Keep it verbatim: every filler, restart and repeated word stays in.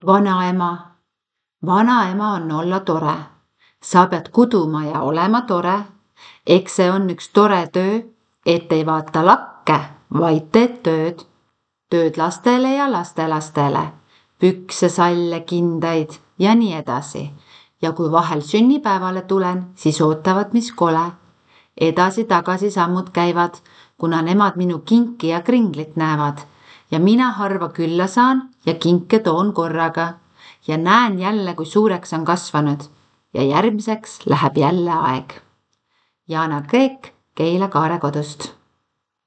Vanaema. Vanaema on olla tore. Sa pead kuduma ja olema tore. Eks see on üks tore töö, et ei vaata lakke, vaid teed tööd. Tööd lastele ja lastelastele. Pükse, salle, kindaid ja nii edasi. Ja kui vahel sünnipäevale tulen, siis ootavad, mis kole. Edasi-tagasi sammud käivad, kuna nemad minu kinki ja kringlit näevad. Ja mina harva külla saan ja kinke toon korraga. Ja näen jälle, kui suureks on kasvanud. Ja järgmiseks läheb jälle aeg. Jaana Kreek Keila Kaare kodust.